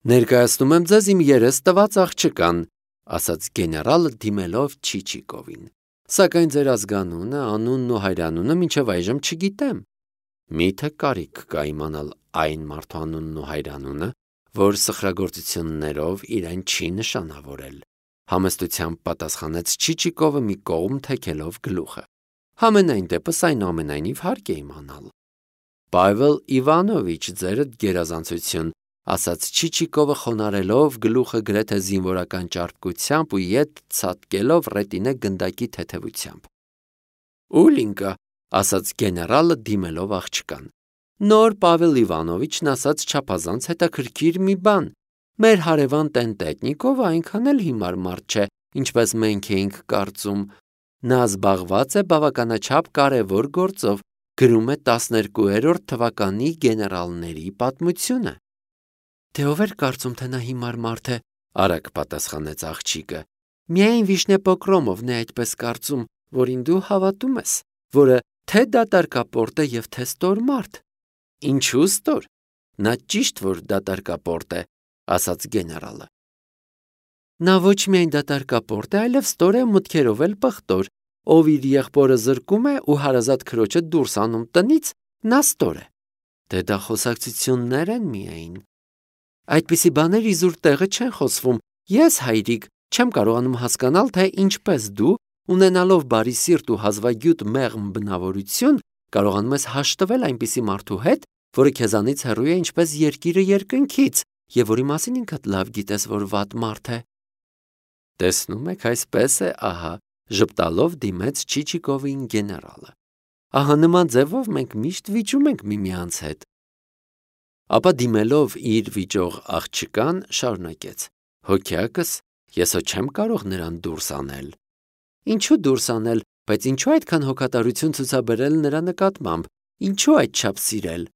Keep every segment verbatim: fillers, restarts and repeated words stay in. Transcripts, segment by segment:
Ներկայացնում եմ ձեզ իմ երես տված աղջկան, ասաց գեներալը դիմելով Չիչիկովին, սակայն ձեր ազգանունը, անունն ու հայրանունը մինչև այժմ չգիտեմ։ Միթե կարիք կա իմանալ այն մարդու անունն ու հայրանունը, որ սխրագործություններով իրեն չի նշանավորել, համեստությամբ պատասխանեց Չիչիկովը մի կողմ թեքելով գլուխը։ Համենայն դեպս այնուամենայնիվ հարկ է իմանալ։ Պավել Իվանովիչ, ձերդ գերազանցություն, ասաց Չիչիկովը խոնարելով գլուխը գրեթե զինվորական ճարպկությամբ ու ետ ցատկելով ռետինե գնդակի թեթևությամբ։ Ուլինկա, ասաց գեներալը դիմելով աղջկան։ Նոր Պավել Իվանովիչն ասաց չափազանց հետաքրքիր մի բան։ Մեր հարևան Տենտետնիկովը այնքան էլ հիմար մարդ չէ, ինչպես մենք էինք կարծում։ Նա զբաղված է բավականաչափ կարևոր գործով, գրում է տասներկուերորդ թվականի գեներալների պատմությունը։ Դե ով էր կարծում, թե նա հիմար մարդ է, արագ պատասխանեց աղջիկը։ Միայն Վիշնե Պոկրոմովն է այդպես կարծում, որին դու հավատում ես, որը թե դատարկապորտ է եւ թե ստոր մարդ։ Ինչու ստոր։ Նա ճիշտ որ դատարկապորտ է, ասաց գեներալը։ Նա ոչ միայն դատարկապորտ է, այլև ստոր է մտքերով էլ պղտոր, ով իր եղբորը զրկում է ու հարազատ քրոջը դուրս անում տնից, նա ստոր է։ Դե դա խոսակցություններ են միայն։ Այդպիսի բաներ իզուր տեղը չեն խոսվում։ Ես, հայրիկ, չեմ կարողանում հասկանալ, թե ինչպես դու, ունենալով բարի սիրտ ու հազվագյուտ մեղմ բնավորություն, կարողանում ես հաշտվել այնպիսի մարդու հետ, որը քեզանից հեռու է ինչպես երկիրը երկնքից, եւ որի մասին ինքդ լավ գիտես, որ վատ մարդ է։ Տեսնում եք, այսպես է, ահա, ժպտալով դիմեց Չիչիկովին գեներալը։ Ահա նման ձևով մենք միշտ վիճում ենք միմյանց հետ։ Ապա դիմելով իր վիճող աղջկան շարունակեց. Հոգյակս, ես հո չեմ կարող նրան դուրս անել։ Ինչու դուրս անել, բայց ինչու այդքան հոգատարություն ցուցաբերել նրա նկատմամբ, ինչու այդչափ սիրել։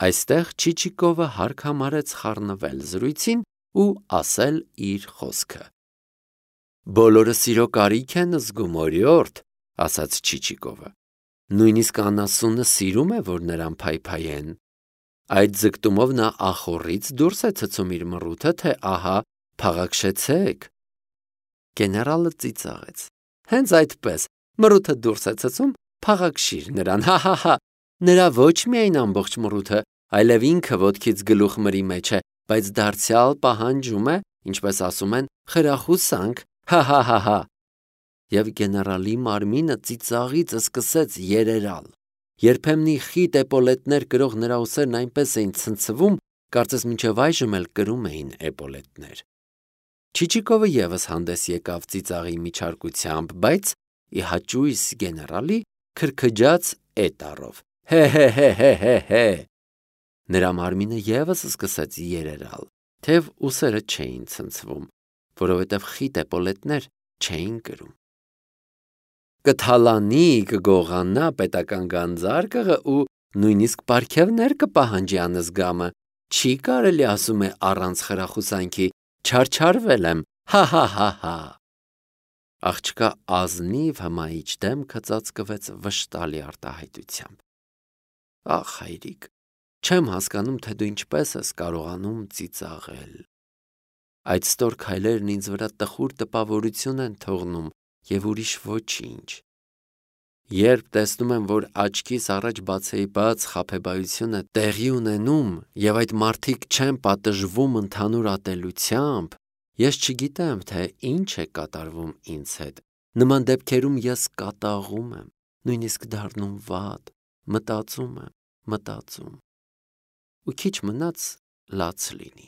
Այստեղ Չիչիկովը հարկ համարեց խառնվել զրույցին ու ասել իր խոսքը։ Բոլորը սիրո կարիք են զգում, օրիորդ, ասաց Չիչիկովը։ Նույնիսկ անասունը սիրում է, որ նրան փայփայեն։ Այդ ձգտումով նա ախորից դուրս է ցցում իր մռութը, թե ահա փաղաքշեցեք։ Գեներալը ծիծաղեց։ Հենց այդպես, մռութը դուրս է ցցում, փաղաքշիր նրան, հա-հա-հա։ Նրա ոչ միայն ամբողջ մռութը, այլև ինքը ոտքից գլուխ մրի մեջ է, բայց դարձյալ պահանջում է, ինչպես ասում են, խրախուսանք, հա-հա-հա-հա։ Եվ գեներալի մարմինը ծիծաղից սկսեց երերալ։ Երբեմնի խիտ էպոլետներ կրող նրա ուսերն այնպես էին ցնցվում, կարծես մինչև այժմ էլ կրում էին էպոլետներ։ Չիչիկովը եւս հանդես եկավ ծիծաղի միջարկությամբ, բայց ի հաճույս գեներալի քրքջաց էտարով։ Հե-հե-հե-հե-հե։ Նրա մարմինը եւս սկսեց երերալ, թեև ուսերը չէին ցնցվում, որովհետև խիտ էպոլետներ չէին կրում։ Կթալանի, կգողանա պետական գանձարկղը ու նույնիսկ պարգևներ կպահանջի անզգամը։ Չի կարելի ասում է առանց խրախուսանքի, չարչարվել եմ, հա-հա-հա-հա։ Աղջկա ազնիվ հմայիչ դեմքը ծածկվեց վշտալի արտահայտությամբ։ Ախ, հայրիկ, չեմ հասկանում, թե դու ինչպես ես կարողանում ծիծաղել։ Այդ ստոր քայլերն ինձ վրա տխուր տպավորություն են թողնում եւ ուրիշ ոչինչ։ Երբ տեսնում եմ, որ աչքիս առաջ բացեի բաց խաբեբայությունը տեղի ունենում եւ այդ մարդիկ չեն պատժվում ընդհանուր ատելությամբ, ես չգիտեմ, թե ինչ է կատարվում ինձ հետ։ Նման դեպքերում ես կատաղում եմ, նույնիսկ դառնում վատ, մտածում եմ, մտածում։ Ու քիչ մնաց լաց լինի։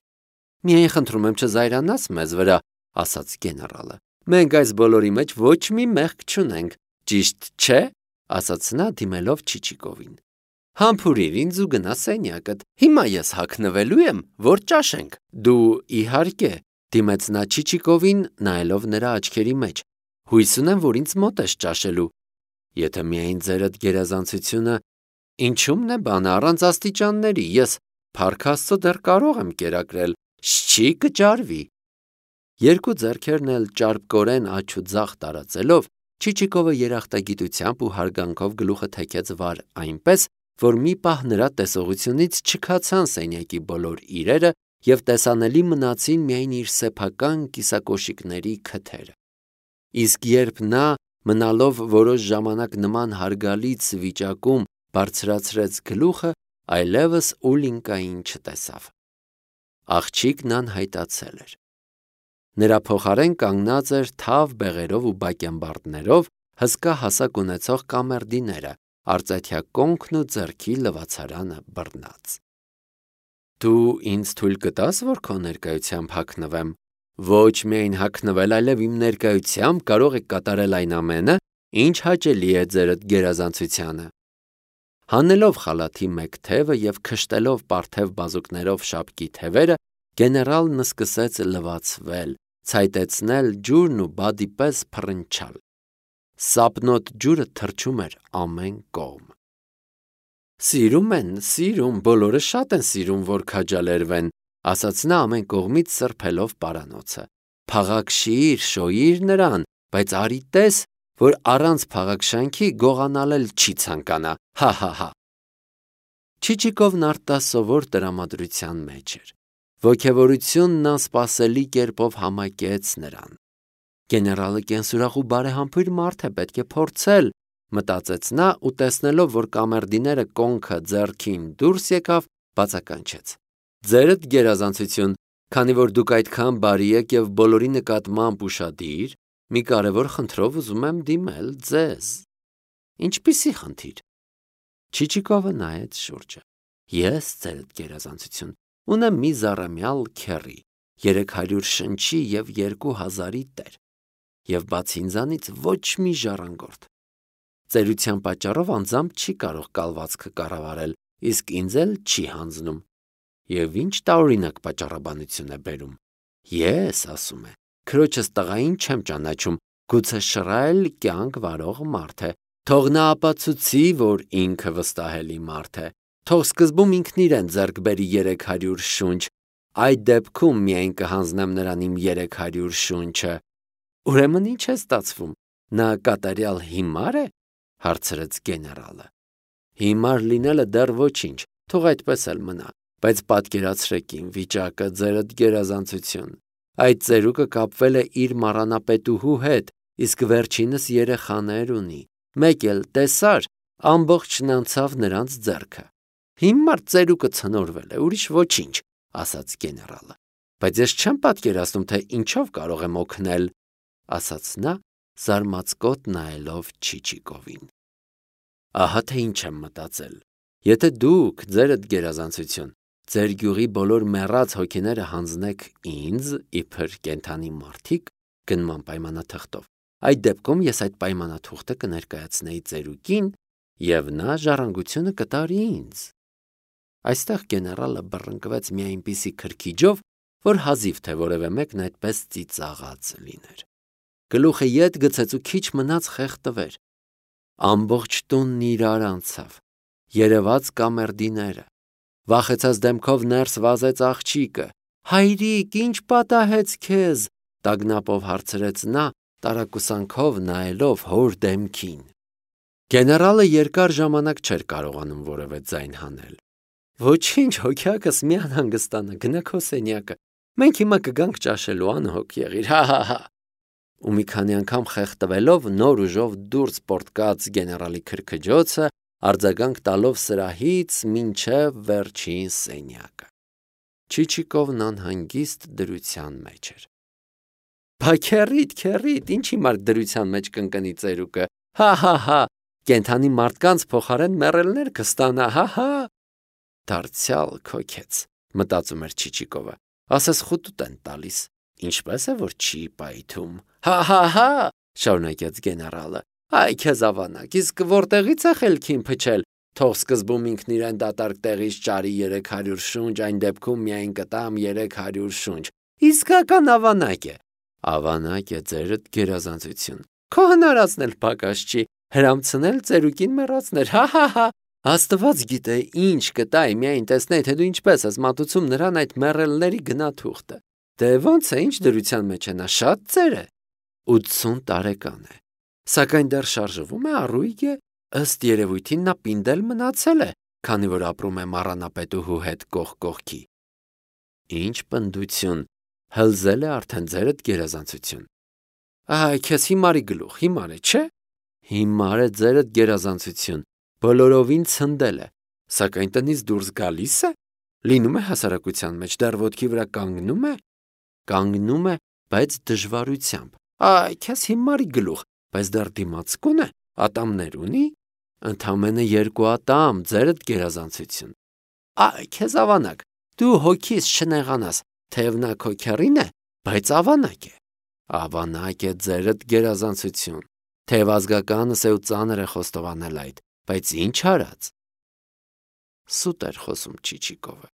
Միայն խնդրում եմ չզայրանաս մեզ վրա, ասաց գեներալը։ Մենք այս բոլորի մեջ ոչ մի մեղք չունենք, ճիշտ չէ, ասաց նա դիմելով Չիչիկովին։ Համբուրիր ինձ ու գնա սենյակդ։ Հիմա ես հագնվելու եմ, որ ճաշենք։ Դու իհարկե, դիմեց նա Չիչիկովին, նայելով նրա աչքերի մեջ։ Հույս ունեմ, որ ինձ մոտ ես ճաշելու։ Եթե միայն ձերդ գերազանցությունը, ինչու՞մն է բանը առանց աստիճանների, ես փառք Աստծո դեռ կարող եմ կերակրել, չի կճարվի։ Երկու ձեռքերն էլ ճարպկորեն աջ ու ձախ տարածելով, Չիչիկովը երախտագիտությամբ ու հարգանքով գլուխը թեքեց վար այնպես, որ մի պահ նրա տեսողությունից չքացան սենյակի բոլոր իրերը և տեսանելի մնացին միայն իր սեփական կիսակոշիկների քթերը։ Իսկ երբ նա, մնալով որոշ ժամանակ նման հարգալից վիճակում, բարձրացրեց գլուխը, այլևս Ուլինկային չտեսավ։ Աղջիկն անհայտացել էր։ Նրա փոխարեն կանգնած էր թավ բեղերով ու բակենբարդներով հսկա հասակ ունեցող կամերդիները, արծաթյա կոնքն ու ձեռքի լվացարանը բռնած։ Դու ինձ թույլ կտա՞ս, որ քո ներկայությամբ հագնվեմ։ Ոչ միայն հագնվել, այլև իմ ներկայությամբ կարող եք կատարել այն ամենը, ինչ հաճելի է ձերդ գերազանցությանը։ Հանելով խալաթի մեկ թևը և քշտելով պարթև բազուկներով շապկի թևերը, գեներալն սկսեց լվացվել, ցայտեցնել ջուրն ու բադի պես փռնչալ։ Սապնոտ ջուրը թռչում էր ամեն կողմ։ Սիրում են, սիրում, բոլորը շատ են սիրում, որ քաջալերվեն, ասաց նա ամեն կողմից սրբելով պարանոցը։ Փաղաքշիր, շոյիր նրան, բայց արի տես, որ առանց փաղաքշանքի գողանալ էլ չի ցանկանա, հա-հա-հա։ Չիչիկովն արտասովոր տրամադրության մեջ էր։ Ոգևորությունն անսպասելի կերպով համակեց նրան։ Գեներալը կենսուրախ ու բարեհամբույր մարդ է, պետք է փորձել, մտածեց նա ու տեսնելով, որ կամերդիները կոնքը ձեռքին դուրս եկավ, բացականչեց. Ձերդ գերազանցություն, քանի որ դուք այդքան բարի եք և բոլորի նկատմամբ ուշադիր, մի կարևոր խնդրով ուզում եմ դիմել ձեզ։ Ինչպիսի խնդիր։ Չիչիկովը նայեց շուրջը։ Ես, ձերդ գերազանցություն, ունեմ մի զառամյալ քեռի, երեք հարյուր շնչի և երկու հազարի տեր, և բացի ինձանից ոչ մի ժառանգորդ։ Ծերության պատճառով անձամբ չի կարող կալվածքը կառավարել, իսկ ինձ էլ չի հանձնում։ Եվ ինչ տարօրինակ պատճառաբանություն է բերում։ Ես, ասում է, քրոջս տղային չեմ ճանաչում, գուցե շռայլ կյանք վարող մարդ է, թող նա ապացուցի, որ ինքը վստահելի մարդ է, թող սկզբում ինքն իրեն ձեռք բերի երեք հարյուր շունչ, այդ դեպքում միայն կհանձնեմ նրան իմ երեք հարյուր շունչը։ Ուրեմն ինչ է ստացվում, նա կատարյալ հիմար է, հարցրեց գեներալը։ Հիմար լինելը դեռ ոչինչ, թող այդպես էլ մնա, բայց պատկերացրեք իմ վիճակը, ձերդ գերազանցություն։ Այդ ծերուկը կապվել է իր մառանապետուհու հետ, իսկ վերջինս երեխաներ ունի, մեկ էլ տեսար, ամբողջն անցավ նրանց ձեռքը։ Հիմար ծերուկը ցնորվել է, ուրիշ ոչինչ, ասաց գեներալը։ Բայց ես չեմ պատկերացնում, թե ինչով կարող եմ օգնել, ասաց նա, զարմացկոտ նայելով Չիչիկովին։ Ահա թե ինչ եմ մտածել։ Եթե դուք, ձերդ գերազանցություն, ձեր գյուղի բոլոր մեռած հոգիները հանձնեք ինձ, իբր կենդանի մարդիկ, գնման պայմանաթղթով, այդ դեպքում ես այդ պայմանաթուղթը կներկայացնեի ծերուկին, և նա ժառանգությունը կտարի ինձ։ Այստեղ գեներալը բռնկվեց մի այնպիսի քրքիջով, որ հազիվ թե որևէ մեկն այդպես ծիծաղած լիներ։ Գլուխը ետ գցեց ու քիչ մնաց խեղդվեր։ Ամբողջ տունն իրար անցավ, երևաց կամերդիները։ Վախեցած դեմքով ներս վազեց աղջիկը։ Հայրիկ, ինչ պատահեց քեզ, տագնապով հարցրեց նա, տարակուսանքով նայելով հոր դեմքին։ Գեներալը երկար ժամանակ չէր կարողանում որևէ ձայն հանել։ Ոչինչ, հոգյակս մի անհանգստանա, գնա քո սենյակը։ Մենք հիմա կգանք ճաշելու, անհոգ եղիր, հա-հա-հա։ Ու մի քանի անգամ խեղդվելով նոր ուժով դուրս պոռթկաց գեներալի քրքջոցը, արձագանք տալով սրահից մինչև վերջին սենյակը։ Չիչիկովն անհանգիստ դրության մեջ էր։ Բա քեռիդ, քեռիդ, ինչ հիմար դրության մեջ կընկնի ծերուկը, հա-հա-հա, կենդանի մարդկանց փոխարեն մեռելներ կստանա, հա-հա։ Դարձյալ քոքեց, մտածում էր Չիչիկովը, ասես խուտուտ են տալիս, ինչպես է որ չի պայթում, հա-հա-հա, շարունակեց գեներալը, այ քեզ ավանակ, իսկ որտեղից է խելքին փչել, թող սկզբում ինքն իրեն դատարկ տեղից ճարի երեք հարյուր շունչ, այն դեպքում միայն կտամ երեք հարյուր շունչ, իսկական ավանակ է, ավանակ է ձերդ գերազանցություն, քո հնարածն էլ պակաս չի, հրամցնել ծերուկին մեռածներ, հա-հա-հա, Աստված գիտե ինչ կտայի, միայն տեսնեի, թե դու ինչպես ես մատուցում նրան այդ մեռելների գնաթուղթը, դե ոնց է, ինչ դրության մեջ է նա, շատ ծեր է, ութսուն տարեկան է, սակայն դեռ շարժվում է, առույգ է, ըստ երևույթին նա պինդել մնացել է, քանի որ ապրում է մառանապետուհու հետ կողք կողքի։ Ինչ պնդություն, հլզել է արդեն ձերդ գերազանցություն։ Այ, քեզ հիմարի գլուխ, հիմար է, չէ՞։ Հիմար է ձերդ գերազանցություն, բոլորովին ցնդել է, սակայն տնից դուրս գալիս է, լինում է հասարակության մեջ, դեռ ոտքի վրա կանգնում է, կանգնում է, բայց դժվարությամբ։ Այ, քեզ հիմարի գլուխ, բայց դեռ դիմացկուն է, ատամներ ունի, ընդամենը երկու ատամ, ձերդ գերազանցություն։ Այ, քեզ ավանակ, դու հոգիս չնեղանաս, թեև նա քո քեռին է, բայց ավանակ է։ Ավանակ է ձերդ գերազանցություն, թեև ազգականս է ու ծանր է խոստովանել այդ, բայց ինչ արած։ Սուտ էր խոսում Չիչիկովը։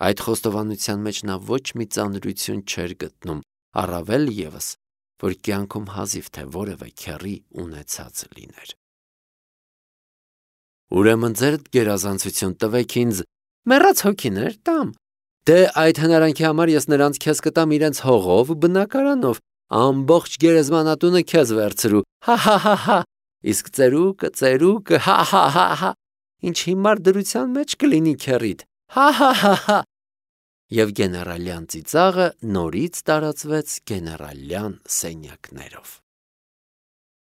Այդ խոստովանության մեջ նա ոչ մի ծանրություն չէր գտնում, առավել ևս, որ կյանքում հազիվ թե որևէ քեռի ունեցած լիներ։ Ուրեմն ձերդ գերազանցություն տվեք ինձ, մեռած հոգիներ տամ։ Դե այդ հնարանքի համար ես նրանց քեզ կտամ իրենց հողով, բնակարանով, ամբողջ գերեզմանատունը քեզ վերցրու, հա-հա-հա-հա, իսկ ծերուկը, ծերուկը, հա-հա-հա-հա, ինչ հիմար դրության մեջ կլինի քեռիդ, հա-հա-հա-հա։ Եվ գեներալյան ծիծաղը նորից տարածվեց գեներալյան սենյակներով։